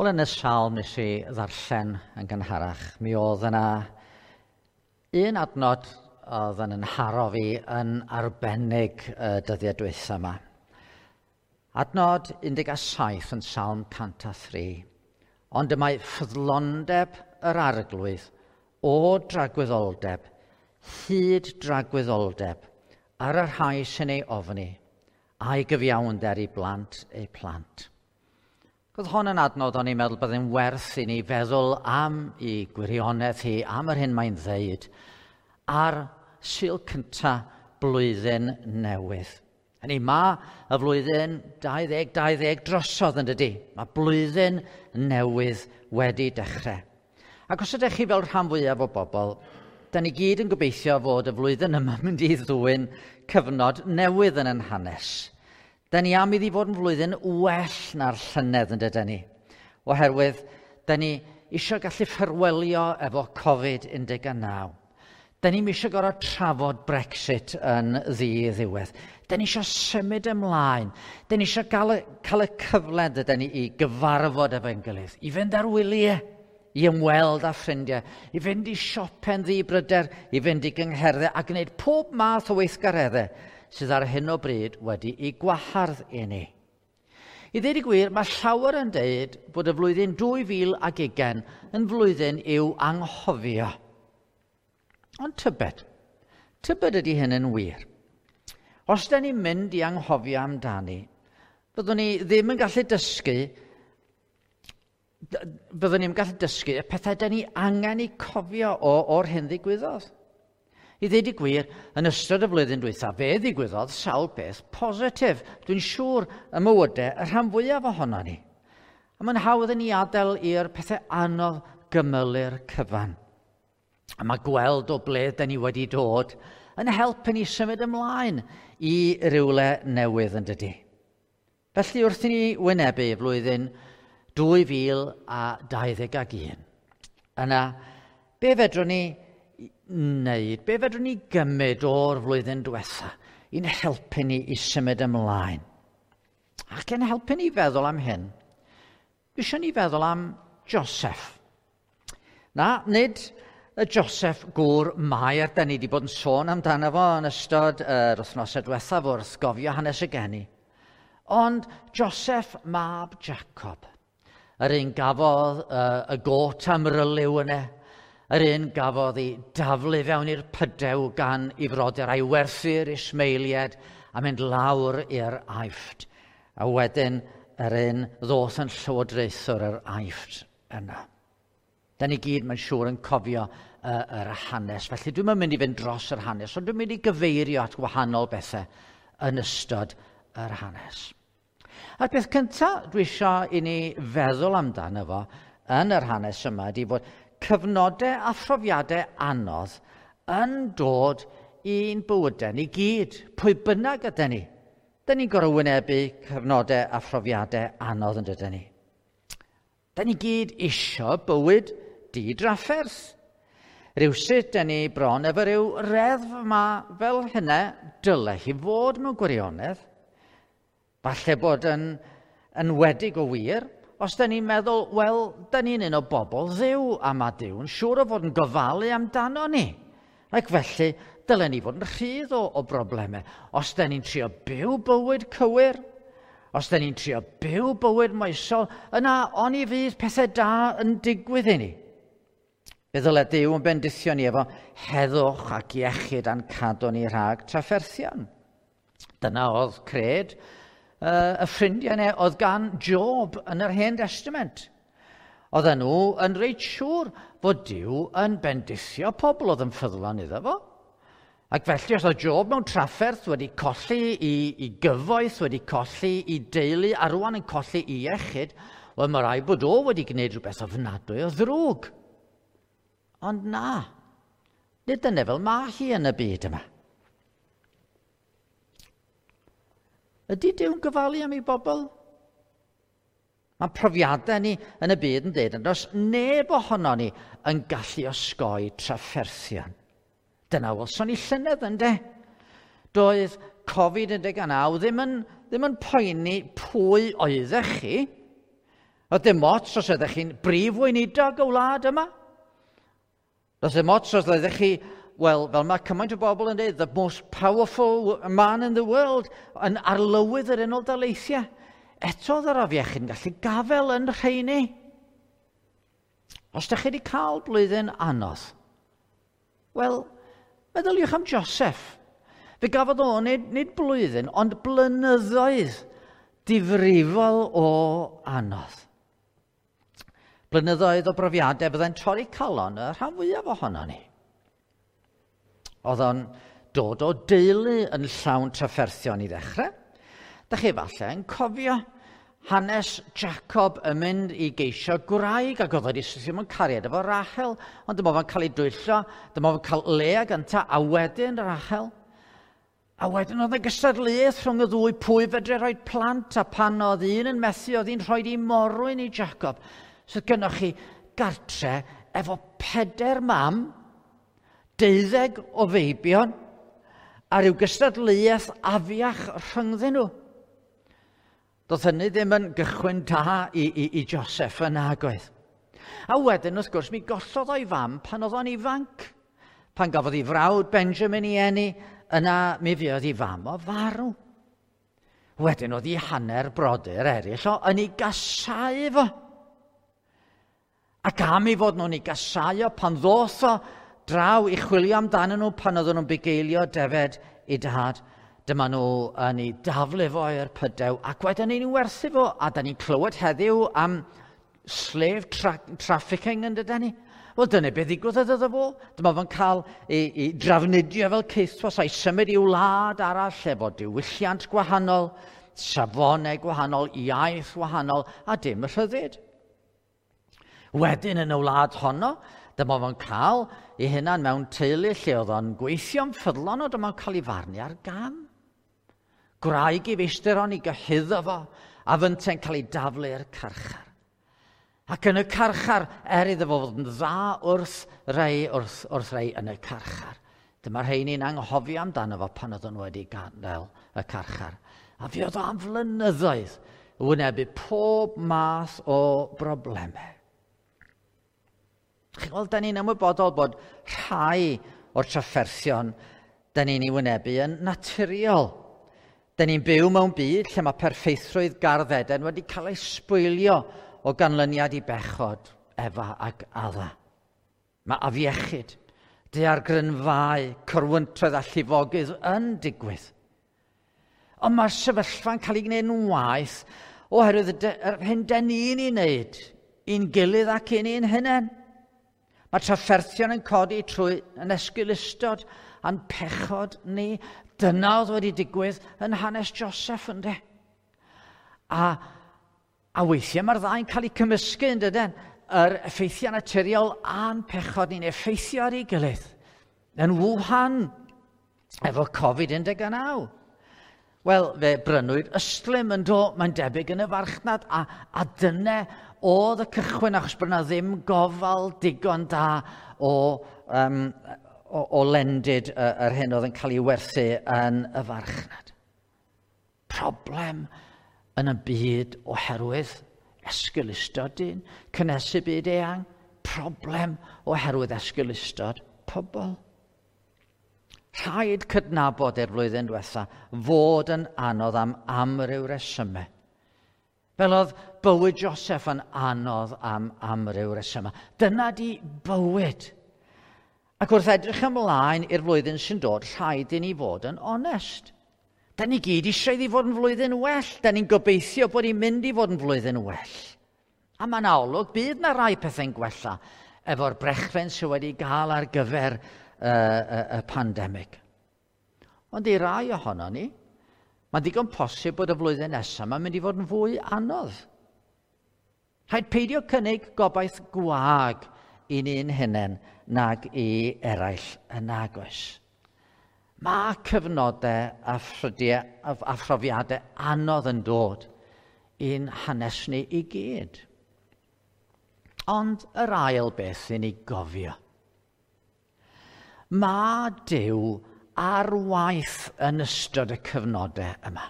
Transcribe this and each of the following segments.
Wel, yn y salm nes i ddarllen yn gynharach, mi oedd yna un adnod oedd yn nharo fi yn arbennig y dyddiau dwytha yma. Adnod 17 yn Salm 103. Ond y mae ffyddlondeb yr Arglwydd o dragwyddoldeb, hyd dragwyddoldeb, ar y rhai sy'n ei ofni, a'i gyfiawnder i blant eu plant. Oedd hon yn adnod o'n i'n meddwl byddai'n werth i ni feddwl am i gwirionedd hi, am yr hyn mae'n ddeud, ar Sul cynta blwyddyn newydd. Hynny, mae y flwyddyn 2020 drosodd yn dydy. Mae blwyddyn newydd wedi dechrau. Ac os ydych chi fel rhan fwyaf o bobl, da ni gyd yn gobeithio fod y flwyddyn yma'n mynd i ddwyn cyfnod newydd yn ein hanes. Da ni am iddi fod yn flwyddyn well na'r llynedd yn dydyn ni. Oherwydd, da ni eisiau gallu ffarwelio efo Covid-19. Da ni'm eisiau gorfod trafod Brexit yn ddi-ddiwedd. Da ni eisiau symud ymlaen. Da ni eisiau cael y cyfle dydyn ni i gyfarfod efo'n gilydd, i fynd ar wyliau, i ymweld â ffrindiau, i fynd i siope'n ddi-bryder, i fynd i gyngherddau a gwneud pob math o weithgareddau sydd ar hyn o bryd wedi'i gwahardd i ni. I ddweud y gwir, mae llawer yn deud bod y flwyddyn 2020 yn flwyddyn i'w anghofio. Ond tybed ydy hyn yn wir. Os da ni'n mynd i anghofio amdani, byddwn ni ddim yn gallu dysgu, byddwn ni'n gallu dysgu y pethau da ni angen eu cofio o'r hyn ddigwyddodd. I ddweud y gwir, yn ystod y flwyddyn dwytha, fe ddigwyddodd sawl beth positif. Dwi'n siŵr y mywydau y rhan fwyaf ohono ni. A mae'n hawdd i ni adael i'r pethau anodd gymylu'r cyfan. A mae gweld o ble da ni wedi dod yn helpu ni symud ymlaen i rywle newydd yn dydy. Felly wrth i ni wynebu flwyddyn 2021, yna, be fedrwn ni wneud, be fedrwn ni gymryd o'r flwyddyn diwetha i'n helpu ni i symud ymlaen? Ac yn helpu ni feddwl am hyn, dwi eisiau ni feddwl am Joseph. Na, nid y Joseph gŵr Mair, da ni wedi bod yn sôn amdano fo yn ystod yr wythnosau diwethaf wrth gofio hanes y geni. Ond Joseph mab Jacob, yr un gafodd y got am ryliw yna, yr un gafodd ei daflu fewn i'r pydew gan ei frodyr a'i werthu'r Ismaeliaid a mynd lawr i'r Aifft. A wedyn yr un ddoth yn llywodraethwr yr Aifft yna. Da ni gyd, mae'n siŵr, yn cofio yr hanes. Felly dwi'm yn mynd i fynd dros yr hanes, ond dwi'n mynd i gyfeirio at wahanol bethau yn ystod yr hanes. A'r peth cyntaf dwi eisiau i ni feddwl amdano fo yn yr hanes yma ydy bod cyfnodau a phrofiadau anodd yn dod i'n bywydau ni gyd, pwy bynnag ydyn ni. Da ni'n gorfod wynebu cyfnodau a phrofiadau anodd yn dydyn ni. Da ni gyd isio bywyd di-drafferth. Rywsut, da ni bron efo ryw reddf yma fel hynna dyle hi fod mewn gwirionedd. Falle bod yn enwedig o wir, os da ni'n meddwl, wel, da ni'n un o bobl Dduw, a mae Duw yn siŵr o fod yn gofalu amdano ni. Ac felly, dylen ni fod yn rhydd o broblemau. Os da ni'n trio byw bywyd cywir, os da ni'n trio byw bywyd moesol, yna oni fydd pethau da yn digwydd i ni. Fe ddyle Duw yn bendithio ni efo heddwch ac iechyd a'n cadw ni rhag trafferthion. Dyna oedd cred y ffrindiau yna oedd gan Job yn yr Hen Testament. Oedden nhw yn reit siŵr fod Duw yn bendithio pobl oedd yn ffyddlon iddo fo. Ac felly os oedd Job mewn trafferth wedi colli i gyfoeth, wedi colli i deulu, a rwan yn colli i iechyd, wel mae rhaid bod o wedi gwneud rhywbeth ofnadwy o ddrwg. Ond na, nid dyna fel mae hi yn y byd yma. Ydy Duw'n gofalu am ei bobl? Mae profiadau ni yn y byd yn dweud, ond does neb ohono ni yn gallu osgoi trafferthion. Dyna welson ni llynedd ynde. Doedd Covid-19 ddim yn poeni pwy oeddech chi. Oedd dim ots os ydych chi'n brif weinidog y wlad yma. Does dim ots os ydych chi, wel, fel mae cymaint o bobl yn dweud, the most powerful man in the world, yn arlywydd yr Unol Daleithiau. Eto oedd yr afiechyd yn gallu gafel yn rheini. Os ydych chi wedi cael blwyddyn anodd, wel, meddyliwch am Joseph. Fe gafodd o nid blwyddyn, ond blynyddoedd difrifol o anodd. Blynyddoedd o brofiadau fyddai'n torri calon y rhan fwyaf ohono ni. Oedd o'n dod o deulu yn llawn trafferthion i ddechrau. Da chi falle yn cofio hanes Jacob yn mynd i geisio gwraig ac oedd wedi syrthio mewn cariad efo Rachel, ond dyma fo'n cael ei dwyllo, dyma fo'n cael Lea gynta, a wedyn Rachel. A wedyn oedd y gystadleuaeth rhwng y ddwy pwy fedru rhoi plant, a pan oedd un yn methu, oedd hi'n rhoi i morwyn i Jacob. So gynnwch chi gartre efo 4 mam, 12 o feibion, a rhyw gystadleuaeth afiach rhyngddyn nhw. Doedd hynny ddim yn gychwyn da i Joseph yn nagoedd. A wedyn, wrth gwrs, mi gollodd o'i fam pan oedd o'n ifanc. Pan gafodd ei frawd Benjamin ei eni, yna mi fuodd ei fam o farw. Wedyn oedd ei hanner brodyr eraill o yn ei gasau fo. Ac am ei fod nhw'n ei gasau o pan ddoth o draw i chwilio amdanyn nhw pan oedden nhw'n bugeilio defed i dad, dyma nhw yn ei daflu fo i'r pydew ac wedyn ni'n werthu fo, a da ni'n clywed heddiw am slave trafficking yn dydyn ni. Wel, dyna beth ddigwyddodd iddo fo. Dyma fo'n cael ei drafnidio fel caethwas a'i symud i wlad arall efo diwylliant gwahanol, safonau gwahanol, iaith wahanol, a dim rhyddid. Wedyn yn y wlad honno, dyma fo'n cael ei hunan mewn teulu lle oedd o'n gweithio'n ffyddlon, o dyma'n cael ei farnu ar gam. Gwraig i feistr o'n ei gyhuddo fo, a fynte'n cael ei daflu i'r carchar. Ac yn y carchar, er iddo fo fod yn dda wrth rei yn y carchar. Dyma'r rheini'n anghofio amdano fo pan oedd nhw wedi gadael y carchar. A fuodd o am flynyddoedd wynebu pob math o broblemau. Chi'n gweld, da ni'n ymwybodol bod rhai o'r trafferthion da ni'n ei wynebu yn naturiol. Da ni'n byw mewn byd lle mae perffeithrwydd Gardd Eden wedi cael ei sbwylio o ganlyniad i bechod Efa ac Adda. Mae afiechyd, daeargrynfâu, corwyntoedd a llifogydd yn digwydd. Ond mae'r sefyllfa'n cael ei gwneud yn waeth oherwydd yr hyn dan ni'n ei wneud i'n gilydd ac i'n ein hunain. Mae trafferthion yn codi trwy yn esgeulustod a'n pechod ni. Dyna oedd wedi digwydd yn hanes Joseph, ynddo. A weithiau mae'r ddau'n cael eu cymysgu, yn dydyn? Yr effeithiau naturiol a'n pechod ni'n effeithio ar ei gilydd. Yn Wuhan, efo Covid-19. Wel, fe brynwyd ystlum yn do, mae'n debyg yn y farchnad, a dyna oedd y cychwyn, achos bod yna ddim gofal digon da o lendid yr hyn oedd yn cael ei werthu yn y farchnad. Problem yn y byd oherwydd esgeulustod dyn, cynhesu byd eang, problem oherwydd esgeulustod pobl. Rhaid cydnabod i'r flwyddyn diwetha fod yn anodd am amryw resymau. Fel oedd bywyd Joseph yn anodd am amryw resymau. Dyna di bywyd. Ac wrth edrych ymlaen i'r flwyddyn sy'n dod, rhaid i ni fod yn onest. Da ni gyd eisiau iddi fod yn flwyddyn well. Da ni'n gobeithio bod hi'n mynd i fod yn flwyddyn well. A mae'n olwg, bydd na rai pethau'n gwella efo'r brechlyn sydd wedi gael ar gyfer y pandemig. Ond i rai ohono ni, mae'n ddigon posib bod y flwyddyn nesaf mae'n mynd i fod yn fwy anodd. Rhaid peidio cynnig gobaith gwag i ni'n hunain nag i eraill yn nagoes. Mae cyfnodau a ffrydiau a phrofiadau anodd yn dod i'n hanes ni i gyd. Ond yr ail beth i ni gofio. Mae Duw ar waith yn ystod y cyfnodau yma.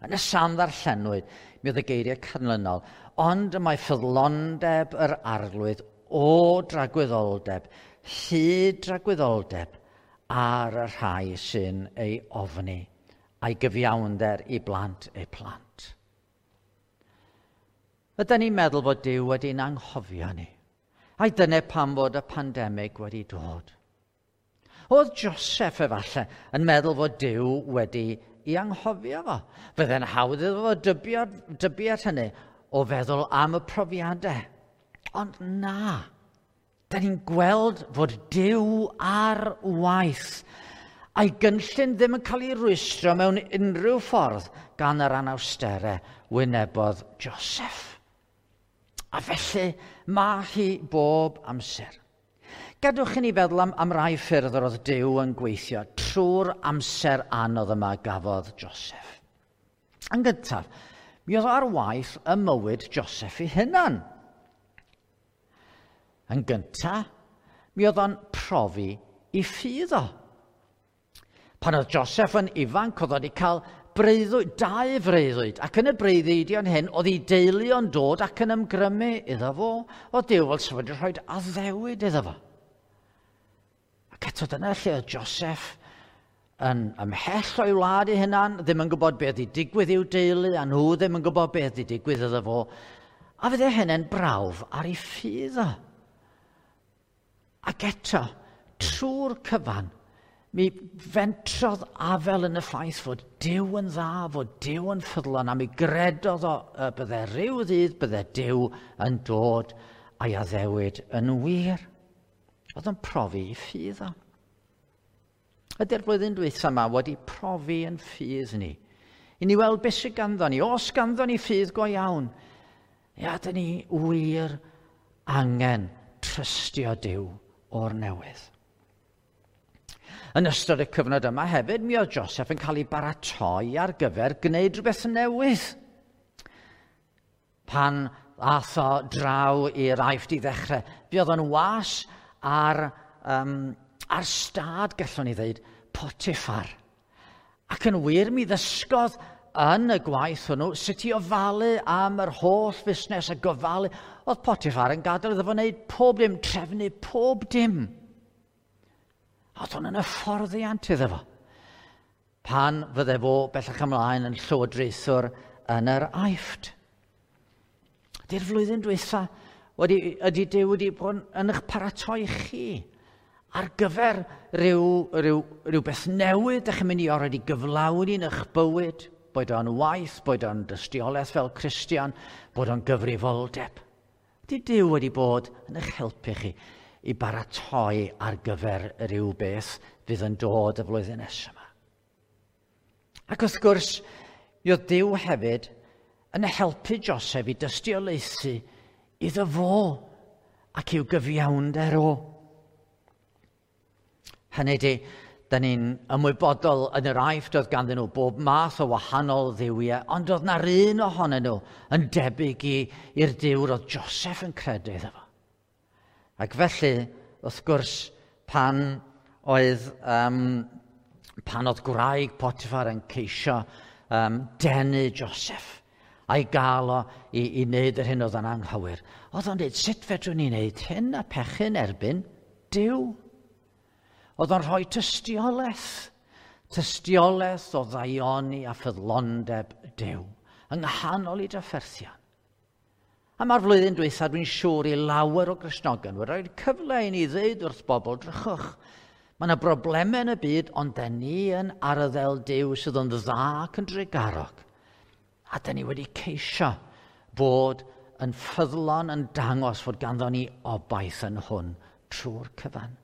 Yn y salm ddarllenwyd, mi oedd y geiriau canlynol, ond y mae ffyddlondeb yr arglwydd o dragwyddoldeb, hyd dragwyddoldeb ar y rhai sy'n ei ofni, a'i gyfiawnder i blant eu plant. Ydy ni'n meddwl fod Duw wedi'n anghofio ni? Ai dyna pam fod y pandemig wedi dod? Oedd Joseph efallai yn meddwl fod Duw wedi i anghofio fo. Fydde'n hawdd iddo fo dybio, dybiad hynny o feddwl am y profiadau. Ond na, da ni'n gweld fod Duw ar waith a'i gynllun ddim yn cael ei rwystro mewn unrhyw ffordd gan yr anawsterau wynebodd Joseph. A felly mae hi bob amser. Gadwch i ni feddwl am, am rai ffyrdd yr oedd Duw yn gweithio trwy'r amser anodd yma gafodd Joseph. Yn gyntaf, mi oedd ar waith y mywyd Joseph ei hunan. Yn gyntaf, mi oedd o'n profi i ffydd o. Pan oedd Joseph yn ifanc, oedd wedi cael breuddwyd, dau freuddwyd, ac yn y breuddwydion hyn, oedd ei deulu o'n dod ac yn ymgrymu iddo fo. Oedd Duw fel sef wedi rhoi addewid iddo fo. Ac eto dyna lle oedd Joseph yn ymhell o'i wlad ei hunan, ddim yn gwybod beth i digwydd i'w deulu, a nhw ddim yn gwybod beth i digwydd iddo fo. A fydde hynny'n brawf ar ei ffydd o. Ac eto, trwy'r cyfan, mi fentrodd afel yn y ffaith fod Duw yn dda, fod Duw yn ffyddlon, a mi gredodd o y bydde rhyw ddydd, bydde Duw yn dod a'i addewid yn wir. Oedd yn profi i ffydd o. Ydy'r flwyddyn dwytha yma wedi profi yn ffydd ni. I ni weld beth sydd ganddo ni. Os ganddo ni ffydd go iawn, ia, dyn ni wir angen trystio Duw o'r newydd. Yn ystod y cyfnod yma hefyd, mi oedd Joseph yn cael ei baratoi ar gyfer gwneud rhywbeth newydd. Pan ath o draw i'r Aifft i ddechrau, fi oedd o'n was ar, um, ar stad, gallwn ni ddweud, Potiphar. Ac yn wir, mi ddysgodd yn y gwaith hwnnw sut i ofalu am yr holl fusnes a gofalu. Oedd Potiphar yn gadael iddo fo wneud pob dim, trefnu pob dim. Oedd hwn yn hyfforddiant iddo fo. Pan fydde fo bellach ymlaen yn llywodraethwr yn yr Aifft. Ydy'r flwyddyn dwytha wedi, ydy Duw wedi bod yn eich paratoi chi ar gyfer rhyw, rhyw, rhywbeth newydd ydych chi'n mynd i orfod i gyflawni yn eich bywyd, boed o'n waith, boed o'n dystiolaeth fel Cristion, bod o'n gyfrifoldeb. Ydy Duw wedi bod yn eich helpu chi i baratoi ar gyfer rhyw beth fydd yn dod y flwyddyn nesaf yma. Ac wrth gwrs, mi oedd Duw hefyd yn helpu Joseph i dystiolaethu iddo fo ac i'w gyfiawnder o. Hynny di, da ni'n ymwybodol yn yr Aifft oedd ganddyn nhw bob math o wahanol dduwiau, ond oedd na'r un ohonyn nhw yn debyg i'r Duw roedd Joseph yn credu iddo fo. Ac felly, wrth gwrs, pan oedd, um, pan oedd gwraig Potiphar yn ceisio um, denu Joseph a'i gael o i, i wneud yr hyn oedd yn anghywir, oedd o'n dweud, sut fedrwn ni wneud hyn a pechu'n erbyn Duw? Oedd o'n rhoi tystiolaeth, tystiolaeth o ddaioni a ffyddlondeb Duw yng nghanol i drafferthion. A mae'r flwyddyn dwytha, dwi'n siŵr i lawer o Gristnogion wedi rhoi cyfle i ni ddweud wrth bobl, drychwch, mae yna broblemau yn y byd, ond da ni yn arddel Duw sydd yn dda ac yn drugarog. A da ni wedi ceisio bod yn ffyddlon yn dangos fod ganddo ni obaith yn hwn trwy'r cyfan.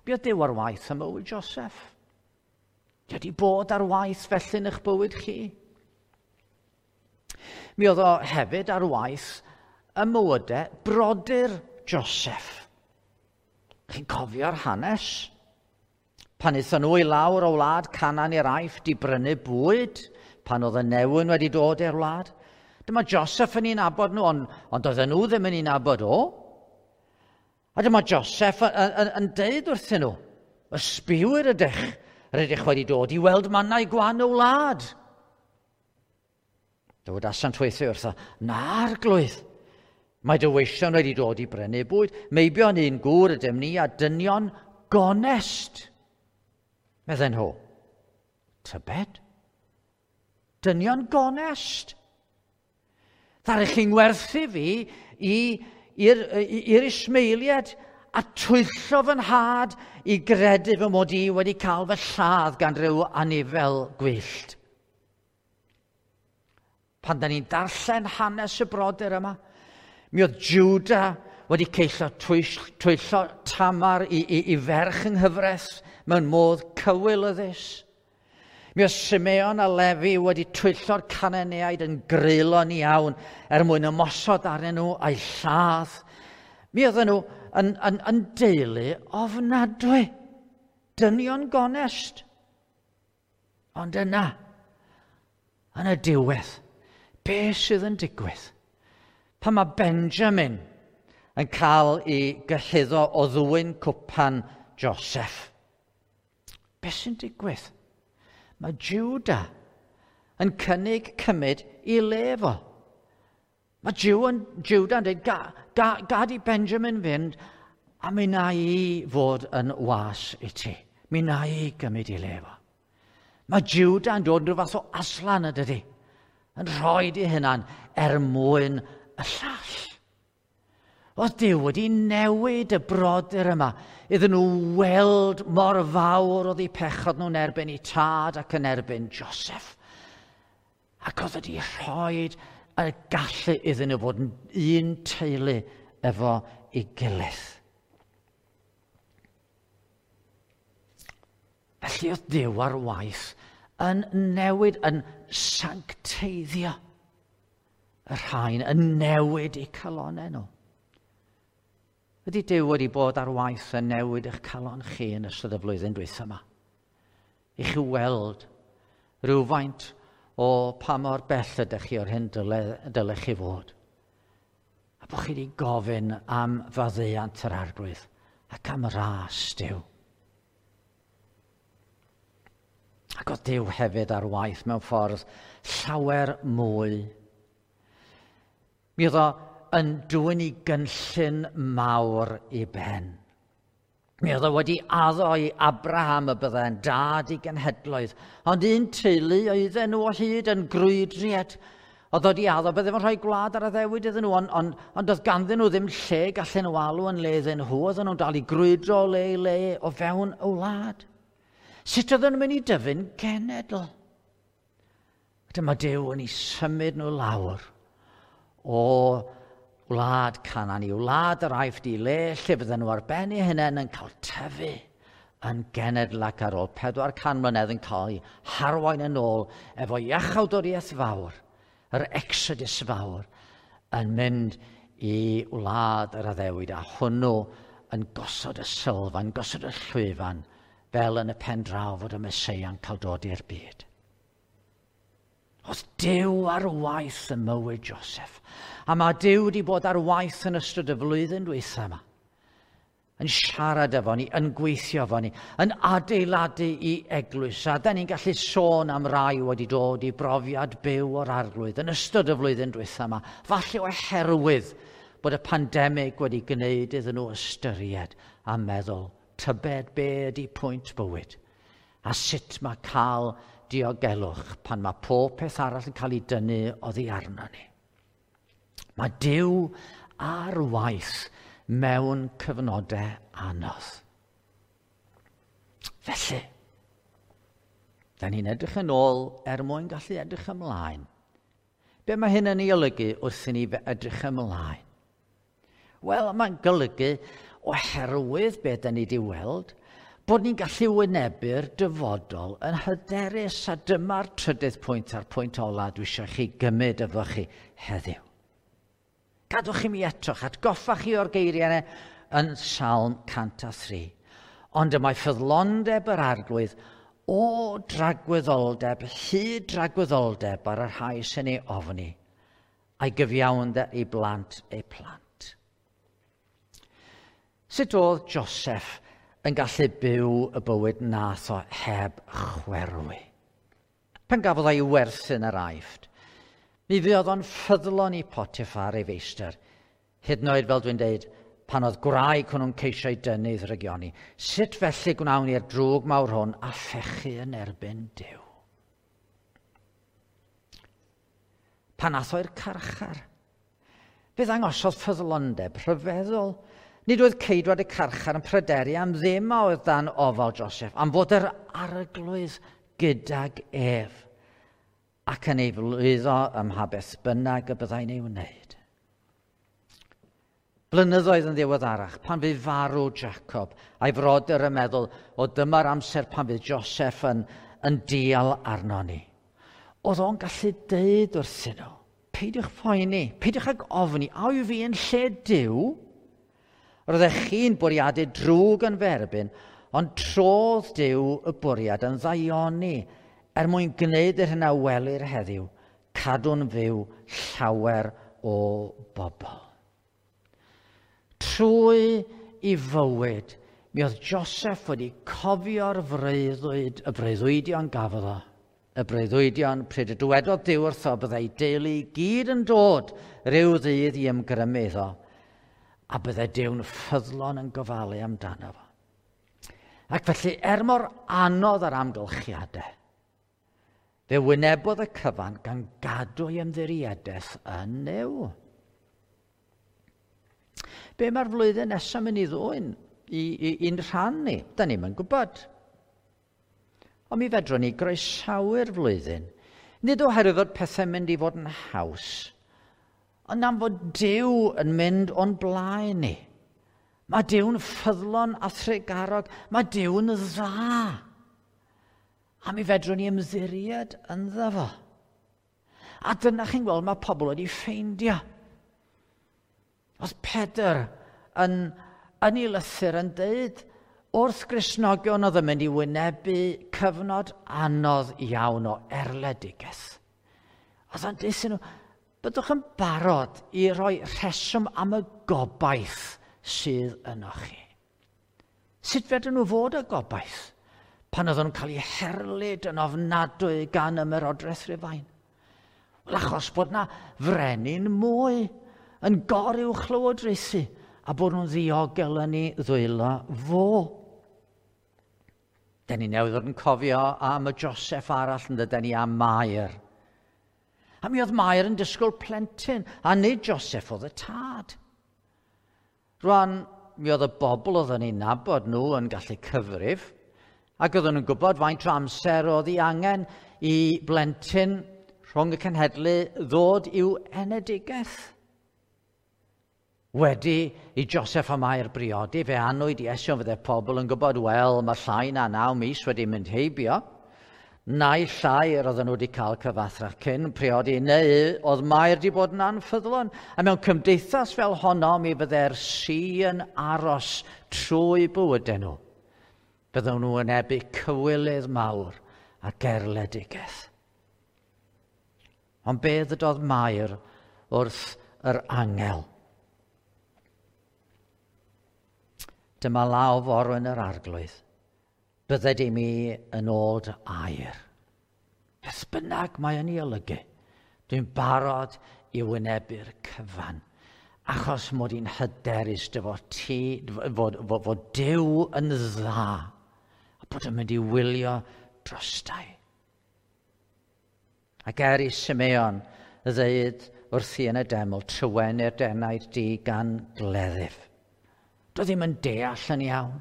Be oedd Duw ar waith ym mywyd Joseph? Di wedi bod ar waith felly yn eich bywyd chi? Mi oedd o hefyd ar waith ym mywydau brodyr Joseph. Chi'n cofio'r hanes? Pan aethon nhw i lawr o wlad Canaan i'r Aifft i brynu bwyd, pan oedd y newyn wedi dod i'r wlad. Dyma Joseph yn ei nabod nhw, ond, ond oedden nhw ddim yn ei nabod o. A dyma Joseph yn, yn, yn deud wrthyn nhw, ysbiwyr ydych, rydych wedi dod i weld mannau gwan y wlad. Dywedasant weithiau wrtho, na arglwydd, mae dy weision wedi dod i brynu bwyd, meibion un gŵr ydym ni a dynion gonest. Medden nhw, tybed? Dynion gonest? Ddaru chi'n gwerthu fi i'r Ismaeliad a twyllo fy nhad i gredu fy mod i wedi cael fy lladd gan ryw anifel gwyllt. Pan da ni'n darllen hanes y brodyr yma, mi oedd Juda wedi ceisio twyllo Tamar i ferch yng nghyfraith mewn modd cywilyddus. Mi oedd Simeon a Lefi wedi twyllo'r Cananeaid yn greulon iawn er mwyn ymosod arnyn nhw a'i lladd. Mi oedden nhw yn deulu ofnadwy, dynion gonest. Ond yna, yn y diwedd, be sydd yn digwydd? Pan mae Benjamin yn cael ei gyhuddo o ddwyn cwpan Joseph, be sy'n digwydd? Mae Juda yn cynnig cymryd i le fo. Mae Juda yn dweud, gad i Benjamin fynd, a mi na i fod yn was i ti. Mi na i gymryd i le fo. Mae Juda yn dod yn rhyw fath o aslan, ydydi? Yn rhoi ei hunan er mwyn y llall. Oedd Duw wedi newid y brodyr yma iddyn nhw weld mor fawr oedd eu pechod nhw'n erbyn eu tad ac yn erbyn Joseph. Ac oedd wedi rhoi y gallu iddyn nhw fod yn un teulu efo ei gilydd. Felly oedd Duw ar waith yn newid, yn sancteiddio y rhain, yn newid eu calonnau nhw. Ydy Duw wedi bod ar waith yn newid eich calon chi yn ystod y flwyddyn dwytha yma? I chi weld rhywfaint o pa mor bell ydych chi o'r hyn dylech chi fod. A bod chi wedi gofyn am faddeuant yr Arglwydd ac am ras Duw. Ac oedd Duw hefyd ar waith mewn ffordd llawer mwy. Mi oedd o yn dwyn i gynllun mawr i ben. Mi oedd o wedi addo i Abraham y byddai'n dad i genhedloedd, ond un teulu oedden nhw o hyd yn grwydriad. Oedd wedi addo bydde fo'n rhoi gwlad ar addewid iddyn nhw, ond oedd ganddyn nhw ddim lle gallen nhw alw yn le iddyn nhw, oedden nhw'n dal i grwydro o le i le o fewn y wlad. Sut oedden nhw'n mynd i dyfu'n genedl? Dyma Duw yn ei symud nhw lawr o wlad Canaan i wlad yr Aifft i le lle fydden nhw ar ben eu hunain yn cael tyfu yn genedl ac ar ôl 400 mlynedd yn cael eu harwain yn ôl efo iachawdwriaeth fawr, yr Exodus fawr, yn mynd i wlad yr addewid a hwnnw yn gosod y sylfaen, gosod y llwyfan, fel yn y pen draw fod y Meseia'n cael dod i'r byd. Oedd Duw ar waith ym mywyd Joseph. A mae Duw wedi bod ar waith yn ystod y flwyddyn dwytha yma. Yn siarad efo ni, yn gweithio efo ni, yn adeiladu i eglwys. A da ni'n gallu sôn am rai wedi dod i brofiad byw o'r Arglwydd yn ystod y flwyddyn dwytha yma. Falle oherwydd bod y pandemig wedi gwneud iddyn nhw ystyried a meddwl, tybed be ydy pwynt bywyd a sut mae cael diogelwch pan mae pob peth arall yn cael ei dynnu oddi arno ni. Mae Duw ar waith mewn cyfnodau anodd. Felly, da ni'n edrych yn ôl er mwyn gallu edrych ymlaen. Be mae hyn yn ei olygu wrth i ni edrych ymlaen? Wel, mae'n golygu oherwydd be da ni wedi weld, bod ni'n gallu wynebu'r dyfodol yn hyderus, a dyma'r trydydd pwynt a'r pwynt ola dwi eisiau chi gymryd efo chi heddiw. Gadwch i mi eto, atgoffa chi o'r geiriau yna yn Salm 103. Ond y mae ffyddlondeb yr Arglwydd o dragwyddoldeb hyd dragwyddoldeb ar y rhai sy'n ei ofni, a'i gyfiawnder i blant eu plant. Sut oedd Joseph yn gallu byw y bywyd nath o heb chwerwi? Pan gafodd ei werthu yn yr Aifft, Mi fuodd o'n ffyddlon i Potiphar ei feistr, hyd yn oed fel dwi'n deud, pan oedd gwraig hwnnw'n ceisio ei dynnu i ddrygioni. Sut felly gwnawn ni'r drwg mawr hwn a phechu yn erbyn Duw? Pan ath o'r carchar, fe ddangosodd ffyddlondeb rhyfeddol. Nid oedd ceidwad y carchar yn pryderu am ddim a oedd dan ofal Joseph, am fod yr arglwydd gydag ef ac yn ei flwyddo ym mha beth bynnag y byddai'n ei wneud. Blynyddoedd yn ddiweddarach, pan fydd farw Jacob, a'i frodyr yn meddwl, o dyma'r amser pan fydd Joseph yn, yn dial arno ni. Oedd o'n gallu deud wrthyn nhw, peidiwch poeni, peidiwch ag ofni, a yw fi yn lle Duw? Roeddech chi'n bwriadu drwg yn ferbyn, ond trodd Duw y bwriad yn ddaioni er mwyn gwneud yr hyn a welir heddiw, cadw'n fyw llawer o bobl. Trwy i fywyd, mi oedd Joseph wedi cofio'r freuddwyd, y breuddwydion gafodd o. Y breuddwydion pryd y dywedodd Duw wrtho byddai deulu gyd yn dod rhyw ddydd i ymgrymu iddo, a byddai Duw'n ffyddlon yn gofalu amdano fo. Ac felly, er mor anodd yr amgylchiadau, fe wynebodd y cyfan gan gadw ei ymddiriedaeth yn Nuw. Be mae'r flwyddyn nesaf mynd i ddwyn i'n rhan ni? Da ni'm yn gwybod. Ond mi fedrwn ni groesawu'r flwyddyn. Nid oherwydd fod pethau'n mynd i fod yn haws, ond am fod Duw yn mynd o'n blaen ni. Mae Duw'n ffyddlon a thrugarog. Mae Duw'n dda. A mi fedrwn ni ymddiried ynddo fo. A dyna chi'n gweld mae pobl wedi ffeindio. Oedd Pedr yn, yn ei lythyr yn deud wrth Gristnogion oedd yn mynd i wynebu cyfnod anodd iawn o erledigaeth. Oedd o'n deud nhw, byddwch yn barod i roi rheswm am y gobaith sydd yno chi. Sut fedrwn nhw fod y gobaith pan oedden nhw'n cael eu herlid yn ofnadwy gan ymerodraeth Rufain? Wel, achos bod na frenin mwy yn goruwch lywodraethu a bod nhw'n ddiogel yn ei ddwylo fo. Den ni newydd fod yn cofio am y Joseph arall yn dydyn ni am Mair. A mi oedd Mair yn disgwyl plentyn, a nid Joseph oedd y tad. Rwan, mi oedd y bobl oedd yn ei nabod nhw yn gallu cyfrif, ac oedden nhw'n gwybod faint o amser oedd ei angen i blentyn rhwng y cenhedlu ddod i'w enedigaeth. Wedi i Joseph a Mair briodi, fe anwyd Iesu, ond fydde pobl yn gwybod, wel, mae llai na 9 mis wedi mynd heibio. Naill ai yr oedden nhw wedi cael cyfathrach cyn priodi, neu oedd Mair wedi bod yn anffyddlon. A mewn cymdeithas fel honno, mi fydde'r si yn aros trwy bywydau nhw. Bydden nhw wynebu cywilydd mawr a gerledigaeth. Ond be ddydodd Mair wrth yr angel? Dyma law forwyn yr arglwydd. Bydded i mi yn ôl dy air. Beth bynnag mae yn ei olygu, dwi'n barod i wynebu'r cyfan, achos mod i'n hyderus dy fod ti, fod, fod, fod Duw yn dda, a bod yn mynd i wylio drostai. Ac er i Simeon ddeud wrthi yn y deml, trywenu'r denaid di gan gleddyf. Doedd ddim yn deall yn iawn.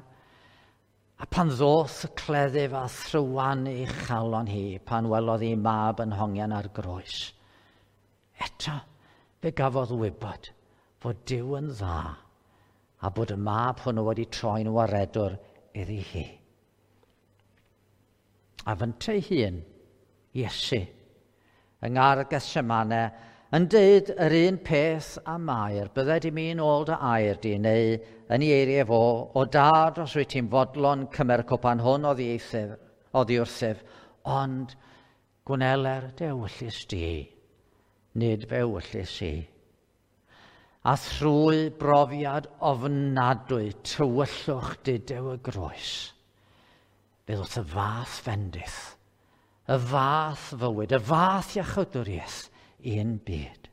A pan ddoth y cleddyf a thrywanu chalon hi, pan welodd hi mab yn hongian ar groes, eto fe gafodd wybod fod Duw yn dda a bod y mab hwnnw wedi troi'n waredwr iddi hi. A fyntau hun, Iesu, yng ngardd Gethsemane, yn deud yr un peth a Mair, bydded i mi yn ôl dy air di, neu yn ei eiriau fo, o dad, os wyt ti'n fodlon, cymer y cwpan hwn oddi wrthyf, ond gwneler dy ewyllys di, nid fy ewyllys i. A thrwy brofiad ofnadwy tywyllwch dudew y groes, fe ddoth y fath fendith, y fath fywyd, y fath iachawdwriaeth i'n byd.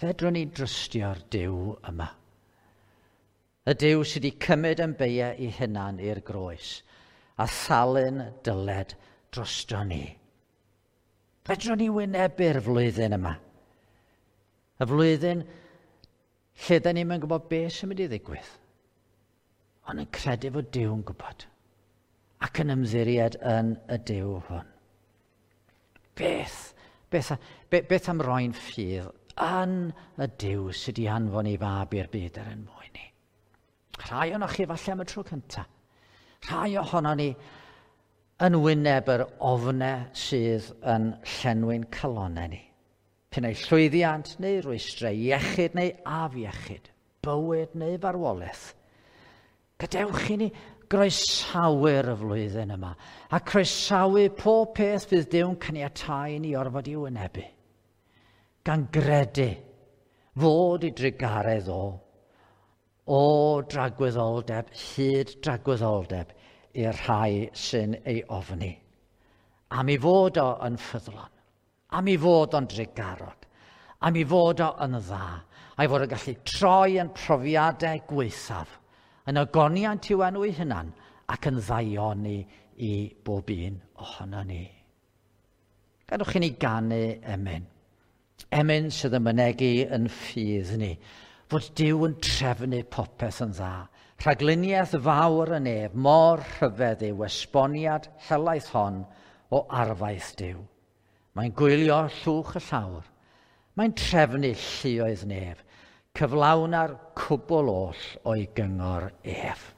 Fedrwn ni drystio'r Duw yma. Y Duw sydd wedi cymryd yn beiau ei hunan i'r groes a thalu'n dyled drosto ni. Fedrwn ni wynebu'r flwyddyn yma. Y flwyddyn lle da ni'm yn gwybod beth sy'n mynd i ddigwydd. Ond yn credu fod Duw yn gwybod ac yn ymddiried yn y Duw hwn. Beth am roi'n ffydd yn y Duw sydd wedi anfon ei fab i'r byd er yn mwyn ni? Rhai ohonoch chi falle am y tro cyntaf. Rhai ohono ni yn wyneb yr ofnau sydd yn llenwi'n calonnau ni. P'un ai llwyddiant neu rwystrau, iechyd neu afiechyd, bywyd neu farwolaeth. Gadewch i ni groesawu'r y flwyddyn yma a croesawu pob peth fydd Duw'n caniatáu i ni orfod i wynebu. Gan gredu fod i drugaredd o dragwyddoldeb hyd dragwyddoldeb i'r rhai sy'n ei ofni. Am ei fod o yn ffyddlon, am ei fod o'n drugarog, am ei fod o yn dda, a'i fod yn gallu troi yn profiadau gwaethaf, yn ogoniant i'w enw ei hunan ac yn ddaioni i bob un ohono ni. Gadewch i ni ganu emyn. Emyn sydd yn mynegi yn ffydd ni, fod Duw yn trefnu popeth yn dda. Rhagluniaeth fawr yn ef, mor rhyfedd yw esboniad helaeth hon o arfaeth Duw. Mae'n gwylio llwch y llawr. Mae'n trefnu lluoedd nef, cyflawna'r cwbl oll o'i gyngor ef.